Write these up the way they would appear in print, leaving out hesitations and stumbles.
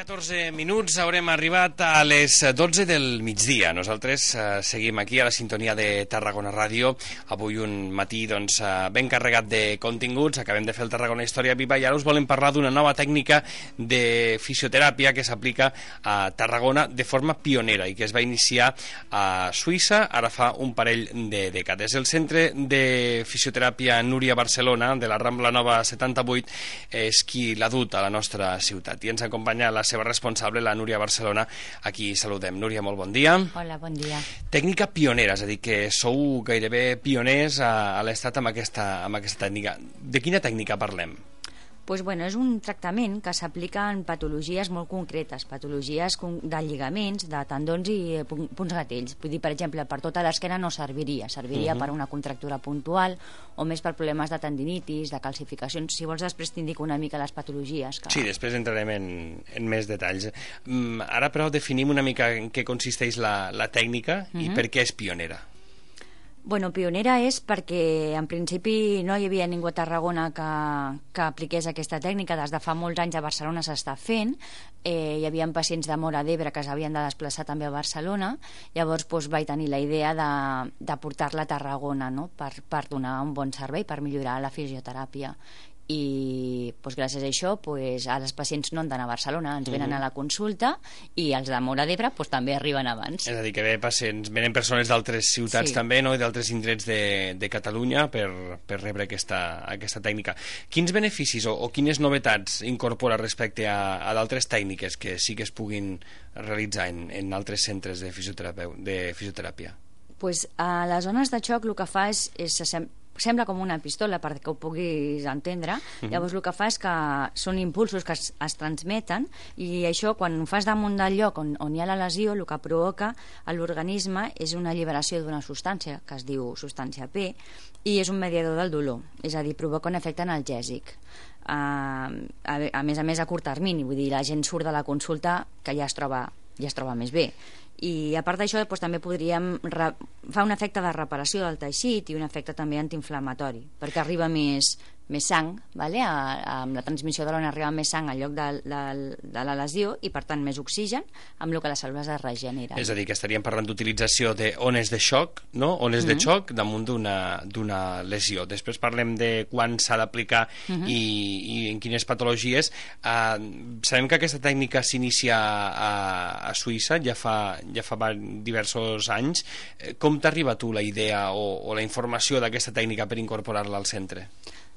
14 minuts, haurem arribat a les 12 del migdia. Nosaltres seguim aquí a la sintonia de Tarragona Ràdio. Avui un matí ben carregat de continguts. Acabem de fer el Tarragona Història Viva i ara us volem parlar d'una nova tècnica de fisioteràpia que s'aplica a Tarragona de forma pionera i que es va iniciar a Suïssa ara fa un parell de dècades. El Centre de Fisioteràpia Núria Barcelona de la Rambla Nova 78 és qui l'ha dut a la nostra ciutat i ens acompanya la seva responsable, la Núria Barcelona. Aquí saludem. Núria, molt bon dia. Hola, bon dia. Tècnica pionera, és a dir, que sou gairebé pioners a l'estat amb aquesta tècnica. De quina tècnica parlem? Pues bueno, és un tractament que s'aplica en patologies molt concretes, patologies de lligaments, de tendons i punts gatells. Vull dir, per exemple, per tota l'esquena no serviria, per una contractura puntual o més per problemes de tendinitis, de calcificacions. Si vols, després t'indico una mica les patologies. Sí, després entrarem en més detalls. Ara, però, definim una mica en què consisteix la tècnica i per què és pionera. Bueno, pionera és perquè en principi no hi havia ningú a Tarragona que apliqués aquesta tècnica. Des de fa molts anys a Barcelona s'està fent. Hi havia pacients de Móra d'Ebre que s'havien de desplaçar també a Barcelona. Llavors vaig tenir la idea de portar-la a Tarragona, no? per donar un bon servei, per millorar la fisioteràpia. I gràcies a això ara els pacients no han d'anar a Barcelona, ens venen a la consulta i els de Móra d'Ebre també arriben abans. És a dir, que venen persones d'altres ciutats també, no? I d'altres indrets de Catalunya per rebre aquesta tècnica. Quins beneficis o quines novetats incorpora respecte a d'altres tècniques que sí que es puguin realitzar en altres centres de fisioteràpia? A les zones de xoc el que fa sembla com una pistola perquè ho puguis entendre. Llavors el que fa és que són impulsos que es transmeten i això quan ho fas damunt del lloc on hi ha la lesió el que provoca a l'organisme és una alliberació d'una substància que es diu substància P i és un mediador del dolor, és a dir, provoca un efecte analgèsic. A més a curt termini, vull dir, la gent surt de la consulta que ja es troba més bé. I a part d'això també podríem fa un efecte de reparació del teixit i un efecte també antiinflamatori perquè arriba més sang, amb la transmissió de l'ona arriba més sang al lloc de la lesió i per tant més oxigen, amb el que les cèl·lules es regeneren. És a dir, que estaríem parlant d'utilització d'ones de xoc, no? Ones de xoc damunt d'una lesió. Després parlem de quan s'ha d'aplicar i en quines patologies. Sabem que aquesta tècnica s'inicia a Suïssa ja fa diversos anys. Com t'arriba a tu la idea o la informació d'aquesta tècnica per incorporar-la al centre?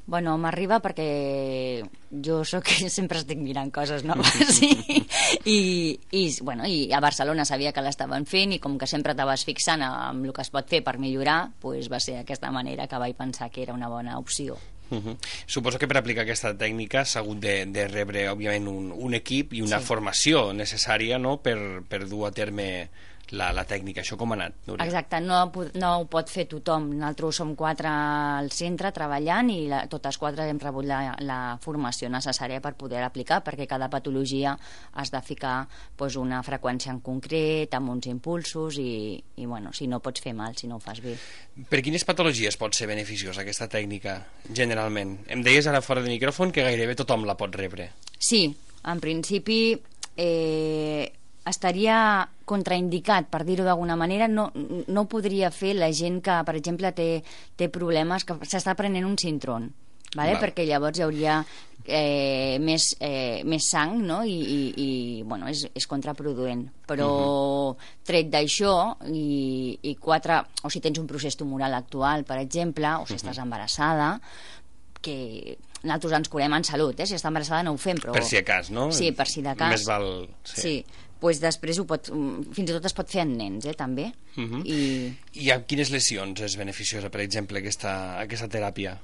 Bueno, m'arriba perquè jo sempre estic mirant coses noves i a Barcelona sabia que l'estaven fent i com que sempre t'aves fixant en el que es pot fer per millorar, va ser aquesta manera que vaig pensar que era una bona opció. Suposo que per aplicar aquesta tècnica s'ha hagut de rebre, òbviament, un equip i una formació necessària, no?, per dur a terme la tècnica. Això com ha anat, Núria? Exacte, no ho pot fer tothom. Nosaltres som 4 al centre treballant i totes 4 hem rebut la formació necessària per poder aplicar, perquè cada patologia has de ficar una freqüència en concret, amb uns impulsos i si no pots fer mal, si no ho fas bé. Per quines patologies pot ser beneficiosa aquesta tècnica, generalment? Em deies ara fora de micròfon que gairebé tothom la pot rebre. Sí, en principi estaria contraindicat, per dir-ho d'alguna manera. No podria fer la gent que, per exemple, té problemes, que s'està prenent un Sintron, perquè llavors hi hauria més sang, no? I és contraproduent. Però tret d'això i 4, o si tens un procés tumoral actual, per exemple, o si estàs embarassada, que nosaltres ens curem en salut, si està embarassada no ho fem, però... Per si de cas, no? Sí, per si de cas. Més val... Sí, després fins i tot es pot fer en nens, també. I amb quines lesions és beneficiosa, per exemple, aquesta teràpia?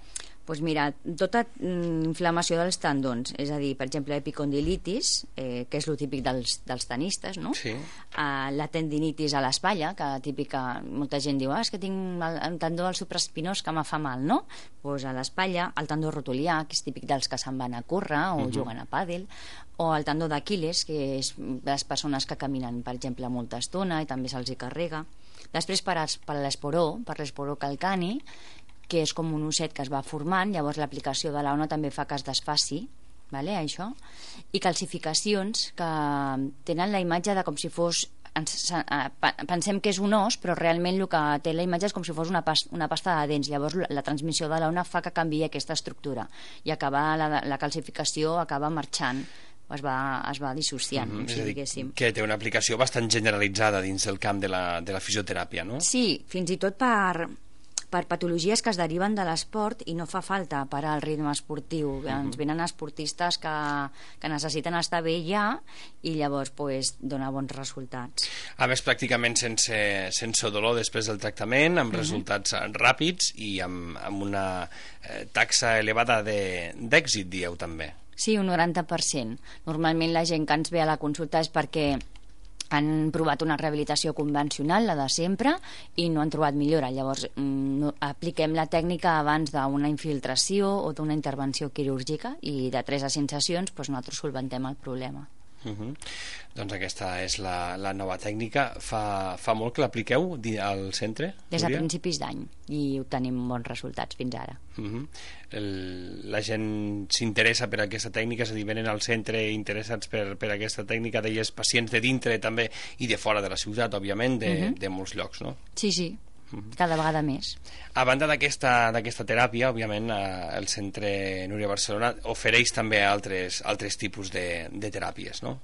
Doncs mira, tota inflamació dels tendons, és a dir, per exemple, epicondilitis, que és el típic dels tenistes, no? Sí. La tendinitis a l'espatlla, que típica, molta gent diu, és que tinc el tendó al supraespinós que me fa mal, no? Doncs a l'espatlla, el tendó rotulià, que és típic dels que se'n van a córrer o juguen a pàdel, o el tendó d'Aquil·les, que és de les persones que caminen, per exemple, molta estona i també se'ls hi carrega. Després per l'esporó calcani, que és com un osset que es va formant, llavors l'aplicació de l'ona també fa que es desfaci vale, això, i calcificacions que tenen la imatge de com si fos... pensem que és un os, però realment el que té la imatge és com si fos una pasta de dents. Llavors la transmissió de l'ona fa que canviï aquesta estructura i la calcificació acaba marxant, es va dissociant, si diguéssim. Que té una aplicació bastant generalitzada dins del camp de la fisioteràpia, no? Sí, fins i tot per patologies que es deriven de l'esport i no fa falta parar el ritme esportiu. Ens venen esportistes que necessiten estar bé ja i llavors dona bons resultats. A més, pràcticament sense dolor després del tractament, amb resultats ràpids i amb una taxa elevada d'èxit, dieu també. Sí, un 90%. Normalment la gent que ens ve a la consulta és perquè han provat una rehabilitació convencional, la de sempre, i no han trobat millora. Llavors apliquem la tècnica abans d'una infiltració o d'una intervenció quirúrgica i de 3 a 5 sessions nosaltres solventem el problema. Doncs aquesta és la nova tècnica. Fa molt que l'apliqueu al centre? Des de principis d'any, i obtenim bons resultats fins ara. La gent s'interessa per aquesta tècnica, és a dir, venen al centre interessats per aquesta tècnica, deies pacients de dintre també i de fora de la ciutat, òbviament, de molts llocs, no? Sí, cada vegada més. A banda d'aquesta teràpia, òbviament, el Centre Núria Barcelona ofereix també altres tipus de teràpies, no?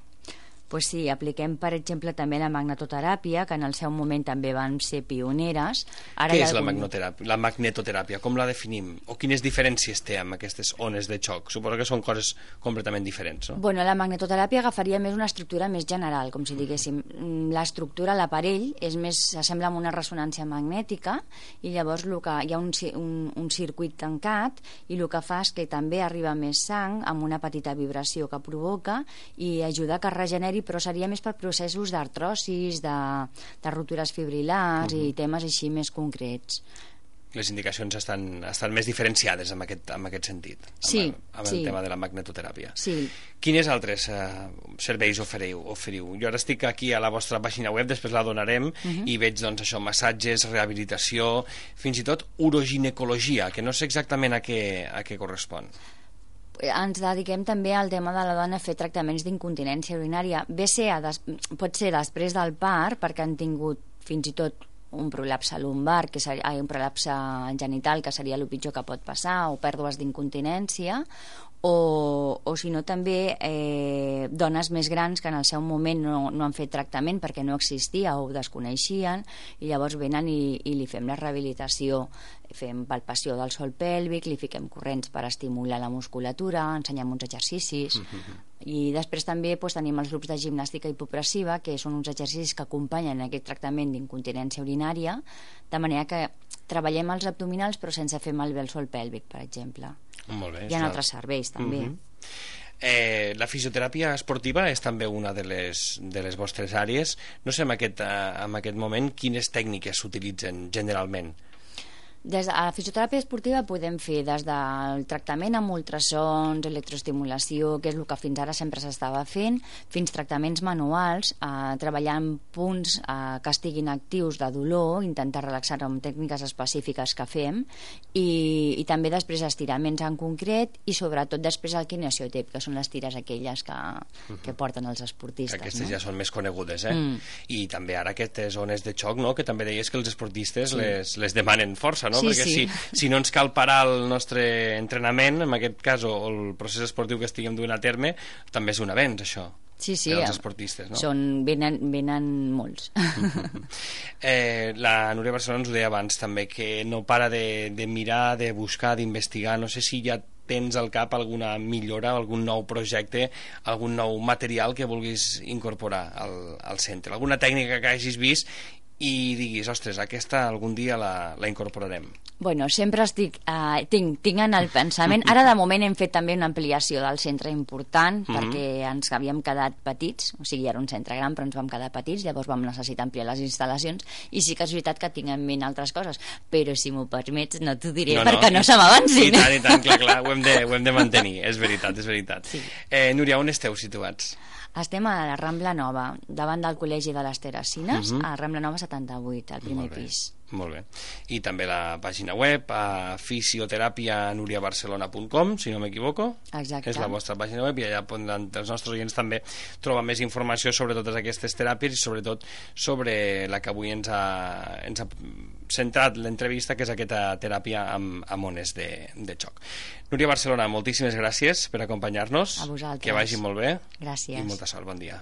Pues sí, apliquem, per exemple, també la magnetoteràpia, que en el seu moment també van ser pioneres. Què és la magnetoteràpia? Com la definim? O quines diferències té amb aquestes ones de xoc? Suposo que són coses completament diferents, no? Bueno, la magnetoteràpia agafaria més una estructura més general, com si diguéssim. L'estructura, l'aparell, s'assembla amb una ressonància magnètica i llavors hi ha un circuit tancat i el que fa és que també arriba més sang amb una petita vibració que provoca i ajuda que es regeneri, però seria més per processos d'artrosis, de ruptures fibrilars i temes així més concrets. Les indicacions estan més diferenciades en aquest sentit, amb el tema de la magnetoteràpia. Sí. Quines altres serveis oferiu? Jo ara estic aquí a la vostra pàgina web, després la donarem, i veig massatges, rehabilitació, fins i tot uroginecologia, que no sé exactament a què correspon. Ens dediquem també al tema de la dona a fer tractaments d'incontinència urinària. Pot ser després del part, perquè han tingut fins i tot un prolapse lumbar, un prolapse genital, que seria el pitjor que pot passar, o pèrdues d'incontinència, o si no també dones més grans que en el seu moment no han fet tractament perquè no existia o ho desconeixien, i llavors venen i li fem la rehabilitació, fem palpació del sòl pèlvic, li fiquem corrents per estimular la musculatura, ensenyem uns exercicis, i després també tenim els grups de gimnàstica hipopressiva, que són uns exercicis que acompanyen aquest tractament d'incontinència urinària, de manera que treballem els abdominals però sense fer malbé el sòl pèlvic, per exemple. Molt bé, hi ha altres serveis també. La fisioteràpia esportiva és també una de les vostres àrees. No sé en aquest moment quines tècniques s'utilitzen generalment. Des de la fisioteràpia esportiva podem fer des del tractament amb ultrasons, electroestimulació, que és el que fins ara sempre s'estava fent, fins tractaments manuals, treballar en punts que estiguin actius de dolor, intentar relaxar amb tècniques específiques que fem, i també després estiraments en concret, i sobretot després el kinesiotip, que són les tires aquelles que porten els esportistes. Aquestes ja són més conegudes, I també ara aquestes zones de xoc, que també deies que els esportistes les demanen força, no? Perquè si no ens cal parar el nostre entrenament, en aquest cas, o el procés esportiu que estiguem duent a terme, també és un avenç, això. Sí, els esportistes, no? Venen molts. La Núria Barcelona ens ho deia abans també, que no para de mirar, de buscar, d'investigar. No sé si ja tens al cap alguna millora, algun nou projecte, algun nou material que vulguis incorporar al centre, alguna tècnica que hagis vist i diguis, ostres, aquesta algun dia la incorporarem. Bueno, sempre tinc en el pensament. Ara de moment hem fet també una ampliació del centre important, perquè ens havíem quedat petits, o sigui, era un centre gran però ens vam quedar petits, llavors vam necessitar ampliar les instal·lacions, i sí que és veritat que tinc en ment altres coses, però si m'ho permets no t'ho diré perquè no se m'avancin. I tant, clar, ho hem de mantenir, és veritat. Sí. Núria, on esteu situats? Estem a la Rambla Nova, davant del Col·legi de les Teresines, a Rambla Nova 78, al primer pis. Molt bé. I també la pàgina web, fisioteràpianuriabarcelona.com, si no m'equivoco. Exacte. És la vostra pàgina web i allà els nostres oients també troben més informació sobre totes aquestes teràpies i sobretot sobre la que avui ens ha centrat l'entrevista, que és aquesta teràpia amb ones de xoc. Núria Barcelona, moltíssimes gràcies per acompanyar-nos. A vosaltres. Que vagi molt bé. Gràcies. I molta sort. Bon dia.